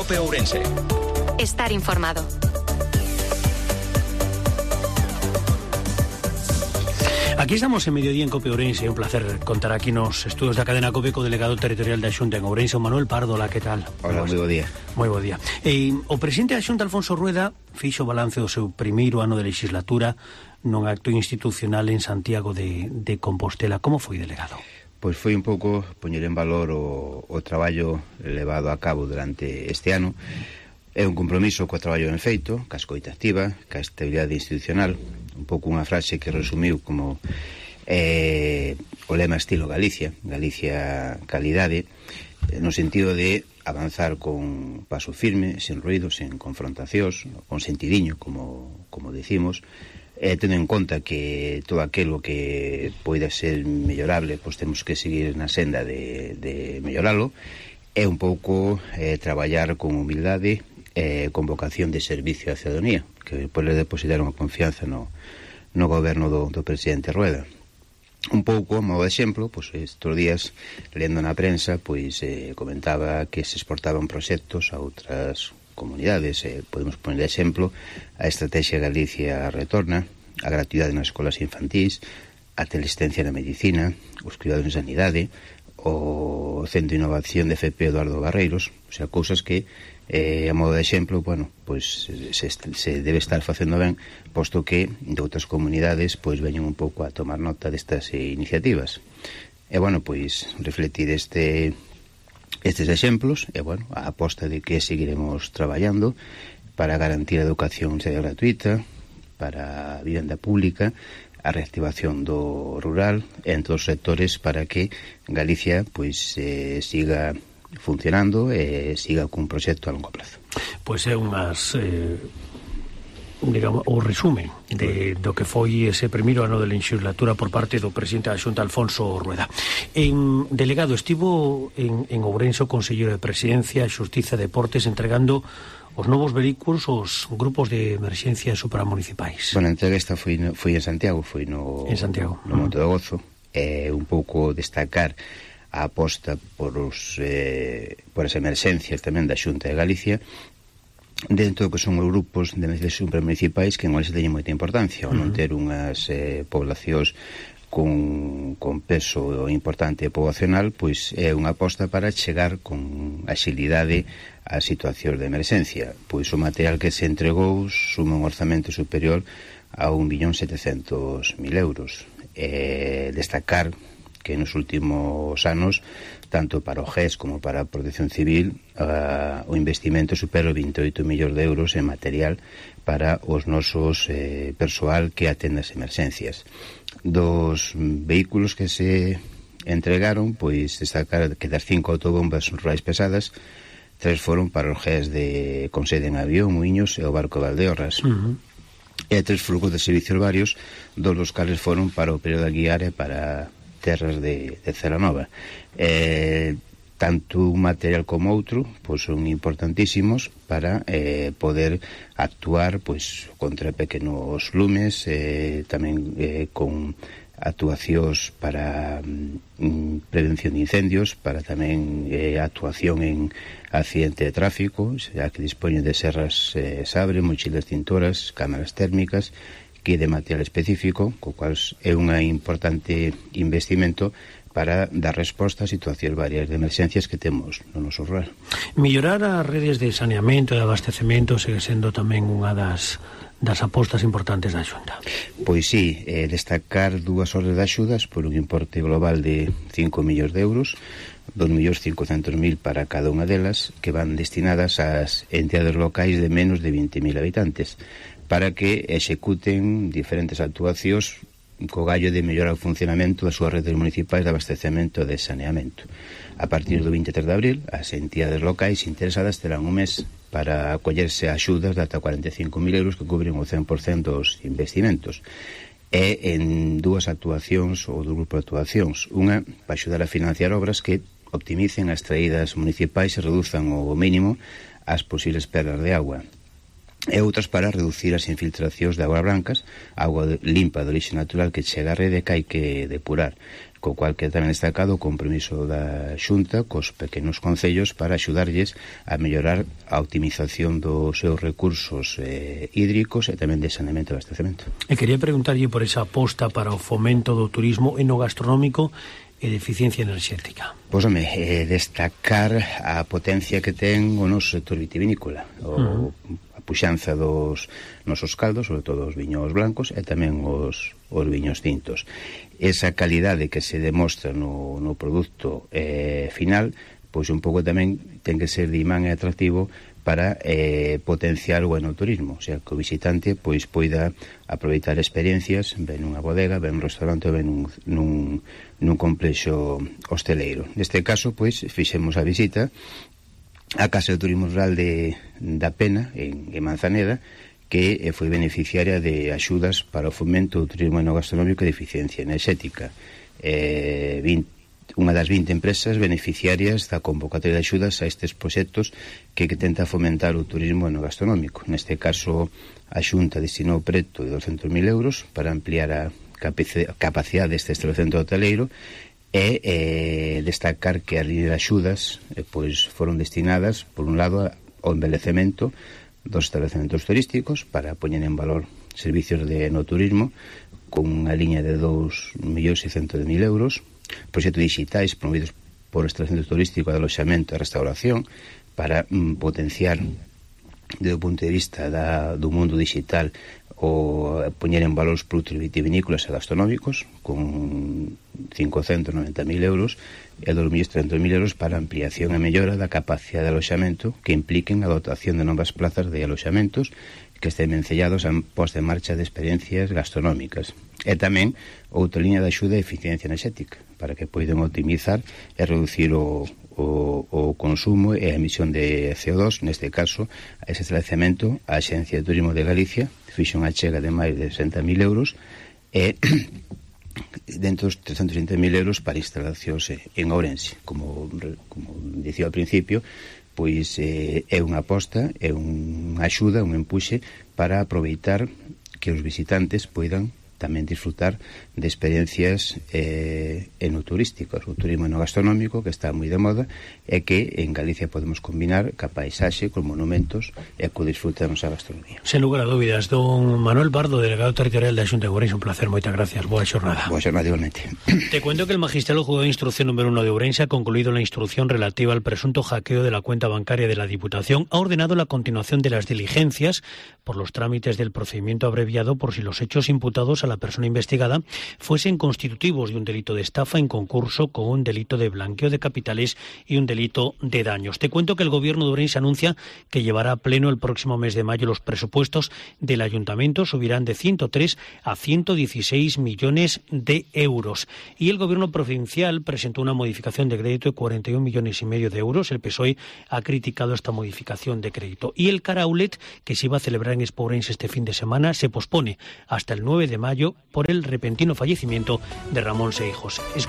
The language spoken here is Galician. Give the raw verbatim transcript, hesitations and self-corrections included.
Cope Ourense. Estar informado. Aquí estamos en Mediodía en Cope Ourense. Un placer contar aquí nos estudios da cadena Cope co delegado territorial da Xunta en Ourense, Manuel Pardo. Hola, que tal? Hola, moi bo día. Moi bo día. E, o presidente da Xunta, Alfonso Rueda, fixo balance do seu primeiro ano de legislatura nun acto institucional en Santiago de, de Compostela. Como foi, delegado? Pois foi un pouco poñer en valor o, o traballo levado a cabo durante este ano. É un compromiso co traballo ben feito, ca escoita activa, ca estabilidade institucional, un pouco unha frase que resumiu como eh, o lema estilo Galicia, Galicia calidade, no sentido de avanzar con paso firme, sen ruido, sen confrontacións, con sentidiño, como, como decimos, eh, tendo en conta que todo aquilo que poida ser mellorable, pois temos que seguir na senda de, de melloralo, é un pouco eh, traballar con humildade, eh, con vocación de servicio á ciudadanía, que pode depositar unha confianza no, no goberno do, do presidente Rueda. Un pouco, a modo de exemplo, pois estes días, lendo na prensa, pois eh, comentaba que se exportaban proxectos a outras comunidades. Eh, podemos poner de exemplo a Estrategia Galicia Retorna, a gratuidade nas escolas infantís, a teleasistencia na medicina, os cuidados en sanidade, o Centro de Innovación de F P Eduardo Barreiros, o sea, cousas que eh, a modo de exemplo, bueno, pois se, se debe estar facendo ben, posto que de outras comunidades pois veñen un pouco a tomar nota destas eh, iniciativas. E bueno, pois refletir este estes exemplos e bueno, a aposta de que seguiremos traballando para garantir a educación seria gratuita, para a vivenda pública, a reactivación do rural, entre os sectores, para que Galicia pois eh, siga funcionando e siga cun proxecto a longo plazo. Pois é unhas eh, digamos, o resumen de, do que foi ese primeiro ano de legislatura por parte do presidente da Xunta, Alfonso Rueda. En delegado, estivo en, en Ourense o conselleiro de Presidencia, Xustiza e Deportes entregando os novos vehículos aos grupos de emerxencia supramunicipais. Bueno, a entrega esta foi, no, foi en Santiago, foi no, en Santiago. no Monte do Gozo. É un pouco destacar a aposta por os eh, por as emerxencias tamén da Xunta de Galicia dentro do que son os grupos de emerxencias supramunicipais, que en Galicia teñen moita importancia, ao non ter unhas eh, poblacións con, con peso importante poboacional, pois é unha aposta para chegar con axilidade a situacións de emerxencia. Pois o material que se entregou suma un orzamento superior a un millón setecentos mil euros. Eh, destacar que nos últimos anos, tanto para o G E S como para a Protección Civil, uh, o investimento supera vinte e oito millóns de euros en material para os nosos eh, persoal que atende as emerxencias. Dos vehículos que se entregaron, pois destacar que das cinco autobombas rurais pesadas, tres foron para os G E S de con sede en Avión, Muiños e o barco Valdeorras. Uh-huh. E tres flucos de servicios varios, dos dos cales foron para o período aguiar e para terras de, de Celanova. Eh, tanto un material como outro pois son importantísimos para eh, poder actuar pois contra pequenos lumes, eh, tamén eh, con actuacións para mm, prevención de incendios, para tamén eh, actuación en accidente de tráfico, xa que dispoñen de serras eh, sabre, mochilas tintoras, cámaras térmicas, que de material específico, co cual é un importante investimento para dar resposta a situacións varias de emerxencias que temos no noso rural. Mellorar as redes de saneamento e de abastecemento segue sendo tamén unha das das apostas importantes da Xunta. Pois sí, eh, destacar dúas ordes de axudas por un importe global de cinco millóns de euros, dos millóns cincocentos mil para cada unha delas, que van destinadas ás entidades locais de menos de vinte mil habitantes, para que executen diferentes actuacións co gallo de mellorar o funcionamento das súas redes municipais de abastecemento e de saneamento. A partir do vinte e tres de abril, as entidades locais interesadas terán un mes para acollerse a axudas de ata cuarenta e cinco mil euros que cubren o cen por cento dos investimentos. E en dúas actuacións ou do grupo de actuacións. Unha, para axudar a financiar obras que optimicen as traídas municipais e reduzan ao mínimo as posibles perdas de agua. E outras para reducir as infiltracións de augas blancas, agua limpa de orixe natural que chega á rede que hai que depurar, co cual que tamén destacado o compromiso da Xunta cos pequenos concellos para axudarlles a mellorar a optimización dos seus recursos eh, hídricos e tamén de saneamento e abastecemento. E quería preguntarlle por esa aposta para o fomento do turismo enogastronómico e de eficiencia enerxética. Pois, home, eh, destacar a potencia que ten o noso sector vitivinícola, o, uh-huh. a puxanza dos nosos caldos, sobre todo os viños blancos e tamén os, os viños tintos. Esa calidade que se demostra no, no produto eh, final, pois un pouco tamén ten que ser de imán e atractivo para eh, potenciar o enoturismo, o sea, que o visitante pois poida aproveitar experiencias, ven nunha bodega, ven nun restaurante, ven nun, nun, nun complexo hosteleiro. Neste caso, pois, fixemos a visita á Casa de Turismo Rural de, da Pena, en, en Manzaneda, que eh, foi beneficiaria de axudas para o fomento do turismo enogastronómico e de eficiencia enerxética. Eh, vinte unha das vinte empresas beneficiarias da convocatoria de axudas a estes proxectos que, que tenta fomentar o turismo enogastronómico. Neste caso, a Xunta destinou preto de douscentos mil euros para ampliar a capacidade deste establecemento hoteleiro e eh, destacar que as líneas de axudas eh, pois foron destinadas, por un lado, ao envelecemento dos establecementos turísticos para poñer en valor servicios de enoturismo con unha liña de dous millóns seiscentos mil euros, proxectos digitais promovidos por establecemento turístico de aloxamento e restauración para mm, potenciar desde o punto de vista da, do mundo digital o poñer en valor os produtos vitivinícolas e gastronómicos con cincocentos noventa mil euros e dos millóns trescentos mil euros para ampliación e mellora da capacidade de aloxamento que impliquen a dotación de novas plazas de aloxamentos que estén vencellados a posta en marcha de experiencias gastronómicas. E tamén outra liña de axuda de eficiencia enerxética para que poidan optimizar e reducir o, o, o consumo e a emisión de C O dos, neste caso, a ese establecemento, a Axencia de Turismo de Galicia fixo unha chega de máis de sesenta mil euros e dentro dos trescentos vinte mil euros para instalacións en Ourense. Como, como dicía ao principio, pois eh, é unha aposta, é unha axuda, un empuxe para aproveitar que os visitantes poidan tamén disfrutar de experiencias eh, enoturísticas, o turismo enogastronómico que está moi de moda e que en Galicia podemos combinar ca paisaxe, con monumentos e co disfrute da nosa gastronomía. Sen lugar a dúbidas, don Manuel Bardo, delegado territorial da Xunta de Ourense, un placer, moitas gracias, boa xornada. Boa xornada igualmente. Te cuento que el magistrado juzgado de instrucción número uno de Ourense ha concluido la instrucción relativa al presunto hackeo de la cuenta bancaria de la Diputación, ha ordenado la continuación de las diligencias por los trámites del procedimiento abreviado por si los hechos imputados a la persona investigada fuesen constitutivos de un delito de estafa en concurso con un delito de blanqueo de capitales y un delito de daños. Te cuento que el gobierno de Ourense anuncia que llevará a pleno el próximo mes de mayo los presupuestos del ayuntamiento, subirán de ciento tres a ciento dieciséis millones de euros. Y el gobierno provincial presentó una modificación de crédito de cuarenta y un millones y medio de euros. El P S O E ha criticado esta modificación de crédito. Y el Caraulet, que se iba a celebrar en Expo Ourense este fin de semana, se pospone hasta el nueve de mayo por el repentino fallecimiento de Ramón Seijos. Es...